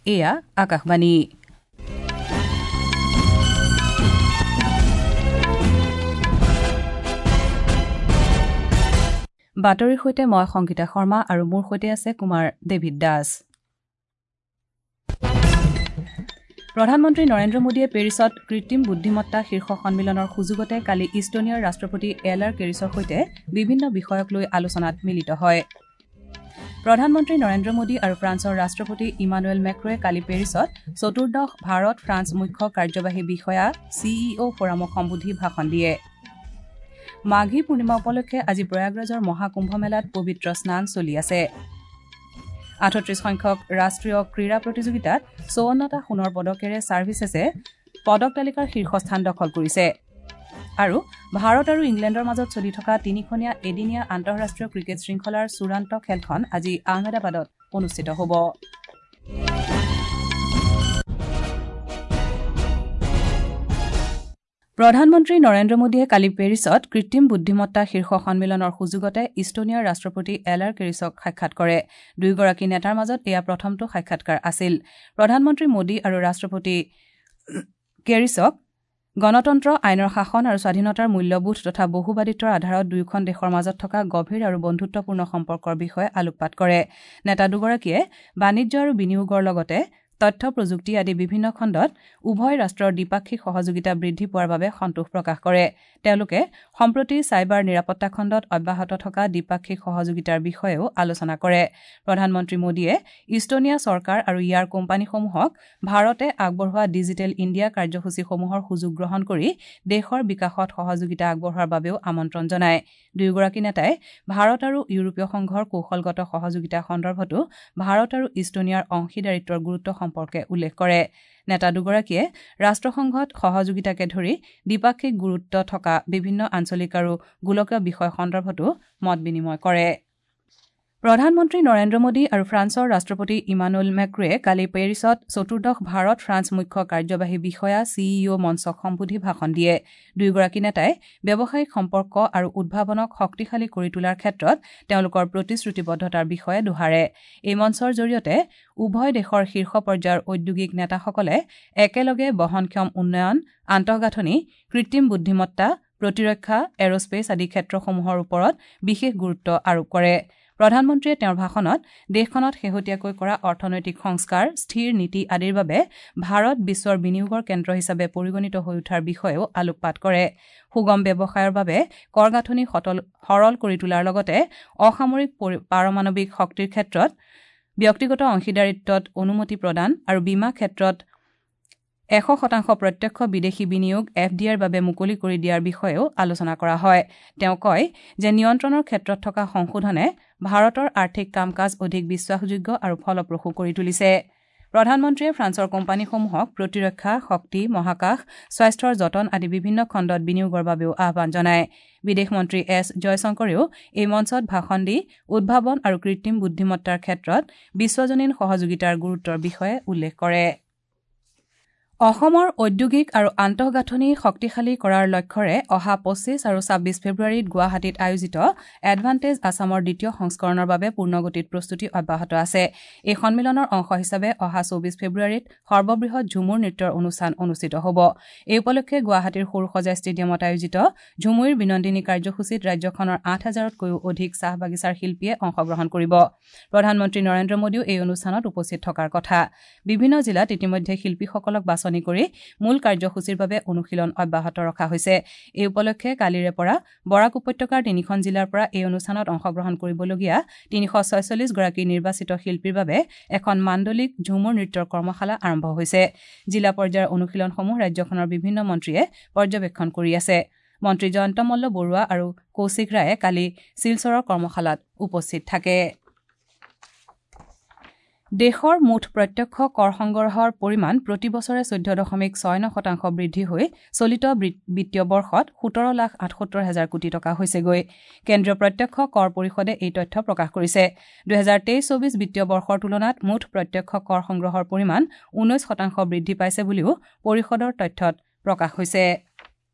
এয়া আকাশবাণী। বাতৰিৰ সৈতে মই সংগীতা শৰ্মা আৰু মোৰ সৈতে আছে কুমাৰ ডেভিড দাস। প্ৰধানমন্ত্ৰী নৰেন্দ্ৰ মোদীয়ে পেৰিছত কৃত্ৰিম বুদ্ধিমত্তা শীৰ্ষ সন্মিলনৰ সুযোগতে কালি ইষ্টনিয়াৰ ৰাষ্ট্ৰপতি এল আৰ কেৰিছৰ সৈতে বিভিন্ন বিষয়ক লৈ আলোচনাত মিলিত হয়। প্ৰধানমন্ত্ৰী নৰেন্দ্ৰ মোদী আৰু ফ্ৰান্সৰ ৰাষ্ট্ৰপতি ইমানুৱেল মেক্ৰয়ে কালি পেৰিছত চতুৰ্দশ ভাৰত ফ্ৰান্স মুখ্য কাৰ্যবাহী বিষয়া চিইঅ ফৰামক সম্বোধি ভাষণ দিয়ে। মাঘী পূৰ্ণিমা উপলক্ষে আজি প্ৰয়াগৰাজৰ মহাকুম্ভ মেলাত পবিত্ৰ স্নান চলি আছে। ৩৮ সংখ্যক ৰাষ্ট্ৰীয় ক্ৰীড়া প্ৰতিযোগিতাত ৫৪টা সোণৰ পদকেৰে ছাৰ্ভিচেছে পদক তালিকাৰ শীৰ্ষস্থান দখল কৰিছে। আৰু ভাৰত আৰু ইংলেণ্ডৰ মাজত চলি থকা তিনিখনীয়া এদিনীয়া আন্তঃৰাষ্ট্ৰীয় ক্ৰিকেট শৃংখলাৰ চূড়ান্ত খেলখন আজি আহমেদাবাদত অনুষ্ঠিত হ'ব। প্ৰধানমন্ত্ৰী নৰেন্দ্ৰ মোদীয়ে কালি পেৰিছত কৃত্ৰিম বুদ্ধিমত্তা শীৰ্ষ সন্মিলনৰ সুযোগতে ইষ্টনিয়াৰ ৰাষ্ট্ৰপতি এল আৰ কেৰিছক সাক্ষাৎ কৰে। দুয়োগৰাকী নেতাৰ মাজত এয়া প্ৰথমটো সাক্ষাৎকাৰ আছিল। প্ৰধানমন্ত্ৰী মোদী আৰু ৰাষ্ট্ৰপতি কেৰিছক গণতন্ত্ৰ, আইনৰ শাসন আৰু স্বাধীনতাৰ মূল্যবোধ তথা বহুবাদিত্বৰ আধাৰত দুয়োখন দেশৰ মাজত থকা গভীৰ আৰু বন্ধুত্বপূৰ্ণ সম্পৰ্কৰ বিষয়ে আলোকপাত কৰে। নেতা দুগৰাকীয়ে বাণিজ্য আৰু বিনিয়োগৰ লগতে তথ্য প্ৰযুক্তি আদি বিভিন্ন খণ্ডত উভয় ৰাষ্ট্ৰৰ দ্বিপাক্ষিক সহযোগিতা বৃদ্ধি পোৱাৰ বাবে সন্তোষ প্ৰকাশ কৰে। তেওঁলোকে সম্প্ৰতি চাইবাৰ নিৰাপত্তা খণ্ডত অব্যাহত থকা দ্বিপাক্ষিক সহযোগিতাৰ বিষয়েও আলোচনা কৰে। প্ৰধানমন্ত্ৰী মোদীয়ে ইষ্টনিয়া চৰকাৰ আৰু ইয়াৰ কোম্পানীসমূহক ভাৰতে আগবঢ়োৱা ডিজিটেল ইণ্ডিয়া কাৰ্যসূচীসমূহৰ সুযোগ গ্ৰহণ কৰি দেশৰ বিকাশত সহযোগিতা আগবঢ়োৱাৰ বাবেও আমন্ত্ৰণ জনায়। দুয়োগৰাকী নেতাই ভাৰত আৰু ইউৰোপীয় সংঘৰ কৌশলগত সহযোগিতা সন্দৰ্ভতো ভাৰত আৰু ইষ্টনিয়াৰ অংশীদাৰিত্বৰ গুৰুত্ব সম্পৰ্কে উল্লেখ কৰে। নেতা দুগৰাকীয়ে ৰাষ্ট্ৰসংঘত সহযোগিতাকে ধৰি দ্বিপাক্ষিক গুৰুত্ব থকা বিভিন্ন আঞ্চলিক আৰু গোলকীয় বিষয় সন্দৰ্ভতো মত বিনিময় কৰে। প্ৰধানমন্ত্ৰী নৰেন্দ্ৰ মোদী আৰু ফ্ৰান্সৰ ৰাষ্ট্ৰপতি ইমানুৱেল মেক্ৰয়ে কালি পেৰিছত চতুৰ্দশ ভাৰত ফ্ৰান্স মুখ্য কাৰ্যবাহী বিষয়া চিইঅ মঞ্চক সম্বোধি ভাষণ দিয়ে। দুয়োগৰাকী নেতাই ব্যৱসায়িক সম্পৰ্ক আৰু উদ্ভাৱনক শক্তিশালী কৰি তোলাৰ ক্ষেত্ৰত তেওঁলোকৰ প্ৰতিশ্ৰুতিবদ্ধতাৰ বিষয়ে দোহাৰে। এই মঞ্চৰ জৰিয়তে উভয় দেশৰ শীৰ্ষ পৰ্যায়ৰ ঔদ্যোগিক নেতাসকলে একেলগে বহনক্ষম উন্নয়ন, আন্তঃগাঁথনি, কৃত্ৰিম বুদ্ধিমত্তা, প্ৰতিৰক্ষা, এৰস্পেচ আদি ক্ষেত্ৰসমূহৰ ওপৰত বিশেষ গুৰুত্ব আৰোপ কৰে। প্ৰধানমন্ত্ৰীয়ে তেওঁৰ ভাষণত দেশখনত শেহতীয়াকৈ কৰা অৰ্থনৈতিক সংস্কাৰ, স্থিৰ নীতি আদিৰ বাবে ভাৰত বিশ্বৰ বিনিয়োগৰ কেন্দ্ৰ হিচাপে পৰিগণিত হৈ উঠাৰ বিষয়েও আলোকপাত কৰে। সুগম ব্যৱসায়ৰ বাবে কৰ গাঁথনি সৰল কৰি তোলাৰ লগতে অসামৰিক পাৰমাণৱিক শক্তিৰ ক্ষেত্ৰত ব্যক্তিগত অংশীদাৰিত্বত অনুমতি প্ৰদান আৰু বীমা ক্ষেত্ৰত ১০০% প্ৰত্যক্ষ বিদেশী বিনিয়োগ এফ ডি আইৰ বাবে মুকলি কৰি দিয়াৰ বিষয়েও আলোচনা কৰা হয়। তেওঁ কয় যে নিয়ন্ত্ৰণৰ ক্ষেত্ৰত থকা সংশোধনে ভাৰতৰ আৰ্থিক কাম কাজ অধিক বিশ্বাসযোগ্য আৰু ফলপ্ৰসূ কৰি তুলিছে। প্ৰধানমন্ত্ৰীয়ে ফ্ৰান্সৰ কোম্পানীসমূহক প্ৰতিৰক্ষা, শক্তি, মহাকাশ, স্বাস্থ্যৰ যতন আদি বিভিন্ন খণ্ডত বিনিয়োগৰ বাবেও আহ্বান জনায়। বিদেশ মন্ত্ৰী এছ জয়শংকৰেও এই মঞ্চত ভাষণ দি উদ্ভাৱন আৰু কৃত্ৰিম বুদ্ধিমত্তাৰ ক্ষেত্ৰত বিশ্বজনীন সহযোগিতাৰ গুৰুত্বৰ বিষয়ে উল্লেখ কৰে। অসমৰ ঔদ্যোগিক আৰু আন্তঃগাঁথনি শক্তিশালী কৰাৰ লক্ষ্যৰে অহা ২৫ আৰু ২৬ ফেব্ৰুৱাৰীত গুৱাহাটীত আয়োজিত এডভান্টেজ আছামৰ দ্বিতীয় সংস্কৰণৰ বাবে পূৰ্ণগতিত প্ৰস্তুতি অব্যাহত আছে। এই সন্মিলনৰ অংশ হিচাপে অহা ২৪ ফেব্ৰুৱাৰীত সৰ্ববৃহৎ ঝুমুৰ নৃত্যৰ অনুষ্ঠান অনুষ্ঠিত হ'ব। এই উপলক্ষে গুৱাহাটীৰ সৰুসজাই ষ্টেডিয়ামত আয়োজিত ঝুমুইৰ বিনন্দিনী কাৰ্যসূচীত ৰাজ্যখনৰ ৮,০০০তকৈও অধিক চাহ বাগিচাৰ শিল্পীয়ে অংশগ্ৰহণ কৰিব। প্ৰধানমন্ত্ৰী নৰেন্দ্ৰ মোদীও এই অনুষ্ঠানত উপস্থিত থকাৰ কথা। বিভিন্ন জিলাত ইতিমধ্যে শিল্পীসকলক বাছনি কৰি মূল কাৰ্যসূচীৰ বাবে অনুশীলন অব্যাহত ৰখা হৈছে। এই উপলক্ষে কালিৰে পৰা বৰাক উপত্যকাৰ তিনিখন জিলাৰ পৰা এই অনুষ্ঠানত অংশগ্ৰহণ কৰিবলগীয়া ৩৪৬ গৰাকী নিৰ্বাচিত শিল্পীৰ বাবে এখন মাণ্ডলিক ঝুমুৰ নৃত্যৰ কৰ্মশালা আৰম্ভ হৈছে। জিলা পৰ্যায়ৰ অনুশীলনসমূহ ৰাজ্যখনৰ বিভিন্ন মন্ত্ৰীয়ে পৰ্যবেক্ষণ কৰি আছে। মন্ত্ৰী জয়ন্ত মল্ল বৰুৱা আৰু কৌশিক ৰায়ে কালি শিলচৰৰ কৰ্মশালাত উপস্থিত থাকে। দেশৰ মুঠ প্ৰত্যক্ষ কৰ সংগ্ৰহৰ পৰিমাণ প্ৰতি বছৰে ১৪.৬৯% বৃদ্ধি হৈ চলিত বিত্তীয় বৰ্ষত ১৭,৭৮,০০০ কোটি টকা হৈছেগৈ। কেন্দ্ৰীয় প্ৰত্যক্ষ কৰ পৰিষদে এই তথ্য প্ৰকাশ কৰিছে। ২০২৩-২৪ বিত্তীয় বৰ্ষৰ তুলনাত মুঠ প্ৰত্যক্ষ কৰ সংগ্ৰহৰ পৰিমাণ ১৯% বৃদ্ধি পাইছে বুলিও পৰিষদৰ তথ্যত প্ৰকাশ হৈছে।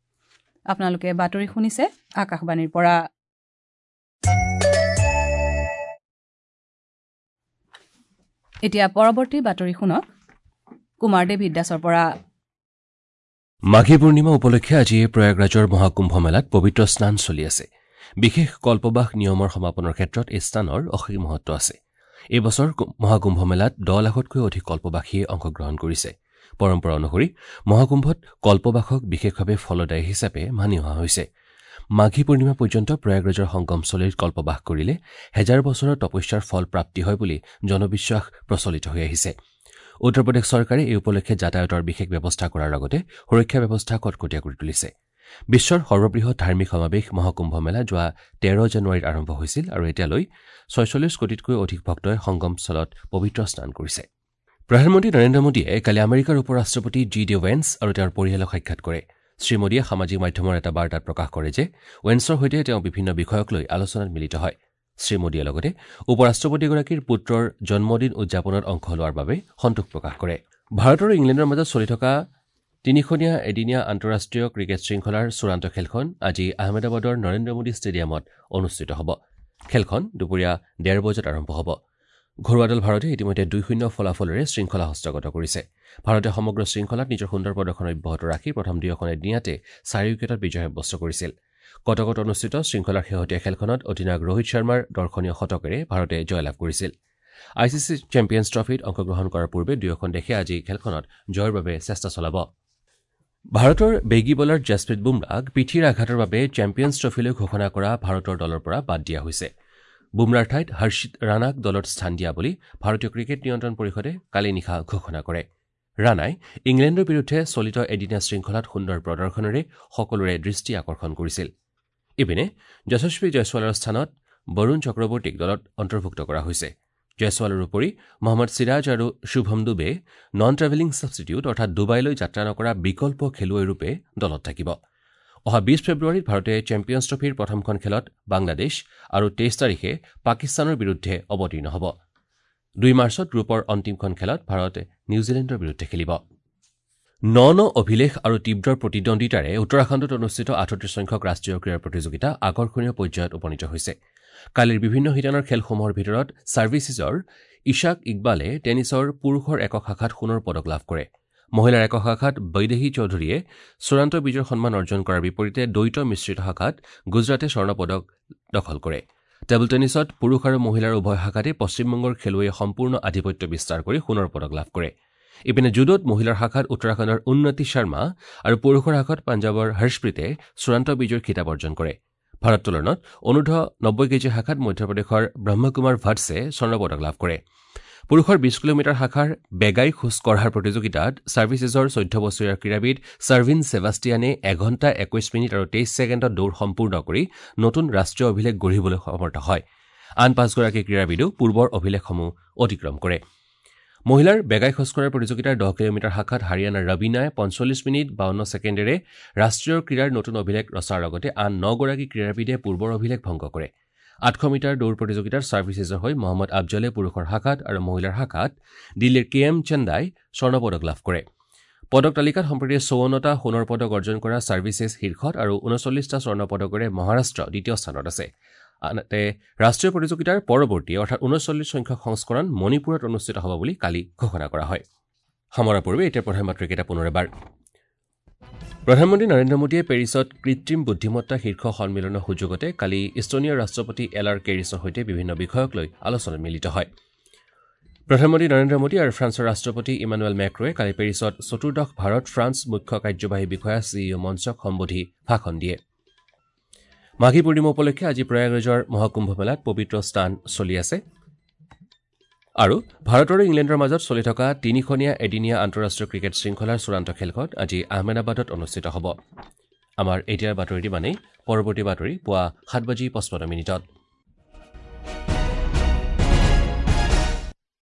আপোনালোকে বাতৰি শুনিছে আকাশবাণীৰ পৰা। এতিয়া পৰৱৰ্তী বাতৰি শুনক। কুমাৰ ডেভিড দাসৰ পৰা। মাঘী পূৰ্ণিমা উপলক্ষে আজি প্ৰয়াগৰাজৰ মহাকুম্ভ মেলাত পবিত্ৰ স্নান চলি আছে। বিশেষ কল্পবাস নিয়মৰ সমাপনৰ ক্ষেত্ৰত এই স্নানৰ অসীম মহত্ব আছে। এই বছৰ মহাকুম্ভ মেলাত 10 লাখতকৈ অধিক কল্পবাসীয়ে অংশগ্ৰহণ কৰিছে। পৰম্পৰা অনুসৰি মহাকুম্ভত কল্পবাসক বিশেষভাৱে ফলদায়ী হিচাপে মানি অহা হৈছে। মাঘী পূৰ্ণিমা পৰ্যন্ত প্ৰয়াগৰাজৰ সংগমস্থলীত কল্পবাস কৰিলে 1000 বছৰৰ তপস্যাৰ ফল প্ৰাপ্তি হয় বুলি জনবিশ্বাস প্ৰচলিত হৈ আহিছে। উত্তৰ প্ৰদেশ চৰকাৰে এই উপলক্ষে যাতায়াতৰ বিশেষ ব্যৱস্থা কৰাৰ লগতে সুৰক্ষা ব্যৱস্থা কটকটীয়া কৰি তুলিছে। বিশ্বৰ সৰ্ববৃহৎ ধাৰ্মিক সমাৱেশ মহাকুম্ভ মেলা যোৱা 13 জানুৱাৰীত আৰম্ভ হৈছিল আৰু এতিয়ালৈ 46 কোটিতকৈ অধিক ভক্তই সংগমস্থলত পবিত্ৰ স্নান কৰিছে। প্ৰধানমন্ত্ৰী নৰেন্দ্ৰ মোদীয়ে কালি আমেৰিকাৰ উপ ৰাষ্ট্ৰপতি জি ডি ৱেন্স আৰু তেওঁৰ পৰিয়ালক সাক্ষাৎ কৰে। শ্ৰীমোদীয়ে সামাজিক মাধ্যমৰ এটা বাৰ্তাত প্ৰকাশ কৰে যে ৱেন্সৰ সৈতে তেওঁ বিভিন্ন বিষয়ক লৈ আলোচনাত মিলিত হয়। শ্ৰীমোদীয়ে লগতে উপ ৰাষ্ট্ৰপতিগৰাকীৰ পুত্ৰৰ জন্মদিন উদযাপনত অংশ লোৱাৰ বাবে সন্তোষ প্ৰকাশ কৰে। ভাৰত আৰু ইংলেণ্ডৰ মাজত চলি থকা তিনিখনীয়া এদিনীয়া আন্তঃৰাষ্ট্ৰীয় ক্ৰিকেট শৃংখলাৰ চূড়ান্ত খেলখন আজি আহমেদাবাদৰ নৰেন্দ্ৰ মোদী ষ্টেডিয়ামত অনুষ্ঠিত হ'ব। খেলখন দুপৰীয়া 1:30 বজাত আৰম্ভ হ'ব। ঘৰুৱা দল ভাৰতে ইতিমধ্যে 2-0 ফলাফলেৰে শৃংখলা হস্তগত কৰিছে। ভাৰতে সমগ্ৰ শৃংখলাত নিজৰ সুন্দৰ প্ৰদৰ্শন অব্যাহত ৰাখি প্ৰথম দুয়োখন এদিনীয়াতে 4 উইকেটত বিজয় সাব্যস্ত কৰিছিল। কটকত অনুষ্ঠিত শৃংখলাৰ শেহতীয়া খেলখনত অধিনায়ক ৰোহিত শৰ্মাৰ দৰ্শনীয় শতকেৰে ভাৰতে জয়লাভ কৰিছিল। I C C champions ট্ৰফীত অংশগ্ৰহণ কৰাৰ পূৰ্বে দুয়োখন দেশে আজি খেলখনত জয়ৰ বাবে চেষ্টা চলাব। ভাৰতৰ বেগী বলাৰ জছপ্ৰীত বুমৰাক পিঠিৰ আঘাতৰ বাবে চেম্পিয়নছ ট্ৰফীলৈ ঘোষণা কৰা ভাৰতৰ দলৰ পৰা বাদ দিয়া হৈছে। বুমৰাৰ ঠাইত হৰ্ষিত ৰাণাক দলত স্থান দিয়া বুলি ভাৰতীয় ক্ৰিকেট নিয়ন্ত্ৰণ পৰিষদে কালি নিশা ঘোষণা কৰে। ৰাণাই ইংলেণ্ডৰ বিৰুদ্ধে চলিত এদিনীয়া শৃংখলাত সুন্দৰ প্ৰদৰ্শনেৰে সকলোৰে দৃষ্টি আকৰ্ষণ কৰিছিল। ইপিনে যশস্বী জয়ছৱালৰ স্থানত বৰুণ চক্ৰৱৰ্তীক দলত অন্তৰ্ভুক্ত কৰা হৈছে। জয়ছৱালৰ উপৰি মহম্মদ চিৰাজ আৰু শুভম ডুবে নন ট্ৰেভেলিং ছাবষ্টিটিউট অৰ্থাৎ ডুবাইলৈ যাত্ৰা নকৰা বিকল্প খেলুৱৈৰূপে দলত থাকিব। অহা 20 ফেব্ৰুৱাৰীত ভাৰতে চেম্পিয়নছ ট্ৰফীৰ প্ৰথমখন খেলত বাংলাদেশ আৰু 23 তাৰিখে পাকিস্তানৰ বিৰুদ্ধে অৱতীৰ্ণ হ'ব। 2 মাৰ্চত গ্ৰুপৰ অন্তিমখন খেলত ভাৰতে নিউজিলেণ্ডৰ বিৰুদ্ধে খেলিব। ন ন অভিলেখ আৰু তীব্ৰ প্ৰতিদ্বন্দ্বিতাৰে উত্তৰাখণ্ডত অনুষ্ঠিত 38 সংখ্যক ৰাষ্ট্ৰীয় ক্ৰীড়া প্ৰতিযোগিতা আকৰ্ষণীয় পৰ্যায়ত উপনীত হৈছে। কালিৰ বিভিন্ন শিতানৰ খেলসমূহৰ ভিতৰত ছাৰ্ভিচেছৰ ইছাক ইকবালে টেনিছৰ পুৰুষৰ একক শাখাত সোণৰ পদক লাভ কৰে। মহিলাৰ একক শাখাত বৈদেহী চৌধুৰীয়ে চূড়ান্ত বিজয়ৰ সন্মান অৰ্জন কৰাৰ বিপৰীতে দ্বৈত মিশ্ৰিত শাখাত গুজৰাটে স্বৰ্ণ পদক দখল কৰে। টেবুল টেনিছত পুৰুষ আৰু মহিলাৰ উভয় শাখাতে পশ্চিমবংগৰ খেলুৱৈয়ে সম্পূৰ্ণ আধিপত্য বিস্তাৰ কৰি সোণৰ পদক লাভ কৰে। ইপিনে জুডোত মহিলাৰ শাখাত উত্তৰাখণ্ডৰ উন্নতি শৰ্মা আৰু পুৰুষৰ শাখাত পাঞ্জাৱৰ হৰ্ষপ্ৰীতে চূড়ান্ত বিজয়ৰ খিতাপ অৰ্জন কৰে। ভাৰোত্তোলনত অনুৰ্ধ 90 কেজি শাখাত মধ্যপ্ৰদেশৰ ব্ৰহ্মকুমাৰ ভাটছে স্বৰ্ণ পদক লাভ কৰে। পুৰুষৰ 20 কিলোমিটাৰ শাখাৰ বেগাই খোজ কঢ়াৰ প্ৰতিযোগিতাত ছাৰ্ভিচেছৰ 14 বছৰীয়া ক্ৰীড়াবিদ ছাৰ্ভিন ছেবাষ্টিয়ানে 1 ঘণ্টা 21 মিনিট আৰু 23 ছেকেণ্ডত দৌৰ সম্পূৰ্ণ কৰি নতুন ৰাষ্ট্ৰীয় অভিলেখ গঢ়িবলৈ সমৰ্থ হয়। আন 5গৰাকী ক্ৰীড়াবিদেও পূৰ্বৰ অভিলেখসমূহ অতিক্ৰম কৰে। মহিলাৰ বেগাই খোজকঢ়াৰ প্ৰতিযোগিতাৰ 10 কিলোমিটাৰ শাখাত হাৰিয়ানাৰ ৰবীনাই 45 মিনিট 52 ছেকেণ্ডেৰে ৰাষ্ট্ৰীয় ক্ৰীড়াৰ নতুন অভিলেখ ৰচাৰ লগতে আন 9গৰাকী ক্ৰীড়াবিদে পূৰ্বৰ অভিলেখ ভংগ কৰে। 800 মিটাৰ দৌৰ প্ৰতিযোগিতাৰ ছাৰ্ভিচেছৰ হৈ মহম্মদ আফজলে পুৰুষৰ শাখাত আৰু মহিলাৰ শাখাত দিল্লীৰ কে এম চন্দাই স্বৰ্ণ পদক লাভ কৰে। পদক তালিকাত সম্প্ৰতি 54টা সোণৰ পদক অৰ্জন কৰা ছাৰ্ভিচেছ শীৰ্ষত আৰু 39টা স্বৰ্ণ পদকেৰে মহাৰাষ্ট্ৰ দ্বিতীয় স্থানত আছে। আনহাতে ৰাষ্ট্ৰীয় প্ৰতিযোগিতাৰ পৰৱৰ্তী অৰ্থাৎ 39 সংখ্যক সংস্কৰণ মণিপুৰত অনুষ্ঠিত হ'ব বুলি কালি ঘোষণা কৰা হয়। সামৰাৰ পূৰ্বে এতিয়া প্ৰধান বাতৰিকেইটা পুনৰ এবাৰ। প্ৰধানমন্ত্ৰী নৰেন্দ্ৰ মোদীয়ে পেৰিছত কৃত্ৰিম বুদ্ধিমত্তা শীৰ্ষ সন্মিলনৰ সুযোগতে কালি ইষ্টনিয়াৰ ৰাষ্ট্ৰপতি এল আৰ কেৰিছৰ সৈতে বিভিন্ন বিষয়ক লৈ আলোচনাত মিলিত হয়। প্ৰধানমন্ত্ৰী নৰেন্দ্ৰ মোদী আৰু ফ্ৰান্সৰ ৰাষ্ট্ৰপতি ইমানুৱেল মেক্ৰয়ে কালি পেৰিছত চতুৰ্দশ ভাৰত ফ্ৰান্স মুখ্য কাৰ্যবাহী বিষয়া চি ই অ মঞ্চক সম্বোধি ভাষণ দিয়ে। মাঘী পূৰ্ণিমা উপলক্ষে আজি প্ৰয়াগৰাজৰ মহাকুম্ভ মেলাত পবিত্ৰ স্নান চলি আছে। আৰু ভাৰত আৰু ইংলেণ্ডৰ মাজত চলি থকা তিনিখনীয়া এদিনীয়া আন্তঃৰাষ্ট্ৰীয় ক্ৰিকেট শৃংখলাৰ চূড়ান্ত খেলখন আজি আহমেদাবাদত অনুষ্ঠিত হ'ব। আমাৰ এতিয়াৰ বাতৰিটি মানেই। পৰৱৰ্তী বাতৰি পুৱা 7:55।